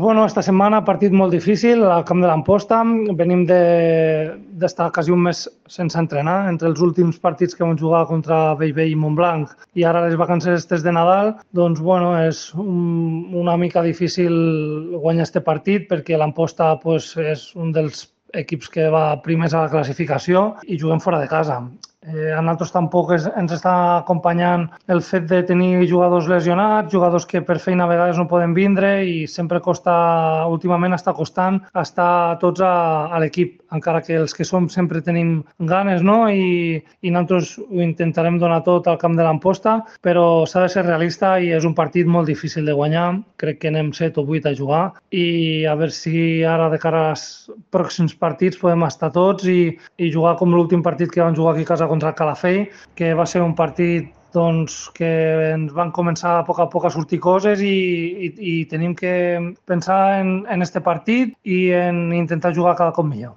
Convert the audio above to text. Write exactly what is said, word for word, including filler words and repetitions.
Bueno, esta setmana partit molt difícil al camp de l'Amposta. Venim d'estar de, quasi un mes sense entrenar. Entre els últims partits que vam jugar contra Bellvei i Montblanc i ara les vacances estes de Nadal, doncs bueno, és un, una mica difícil guanyar este partit perquè l'Amposta pues, és un dels equips que va primers a la classificació i juguem fora de casa. Eh, a nosaltres tampoc es, ens està acompanyant el fet de tenir jugadors lesionats, jugadors que per feina a vegades no poden vindre i sempre costa, últimament està costant estar tots a, a l'equip, encara que els que som sempre tenim ganes, no? I, i nosaltres ho intentarem donar tot al camp de l'Amposta, però s'ha de ser realista i és un partit molt difícil de guanyar. Crec que anem set o vuit a jugar i a veure si ara de cara als pròxims partits podem estar tots i, i jugar com l'últim partit que vam jugar aquí a casa contra el Calafell, que va ser un partit doncs, que ens van començar a poc a poc a sortir coses i, i, i tenim que pensar en, en este partit i en intentar jugar cada cop millor.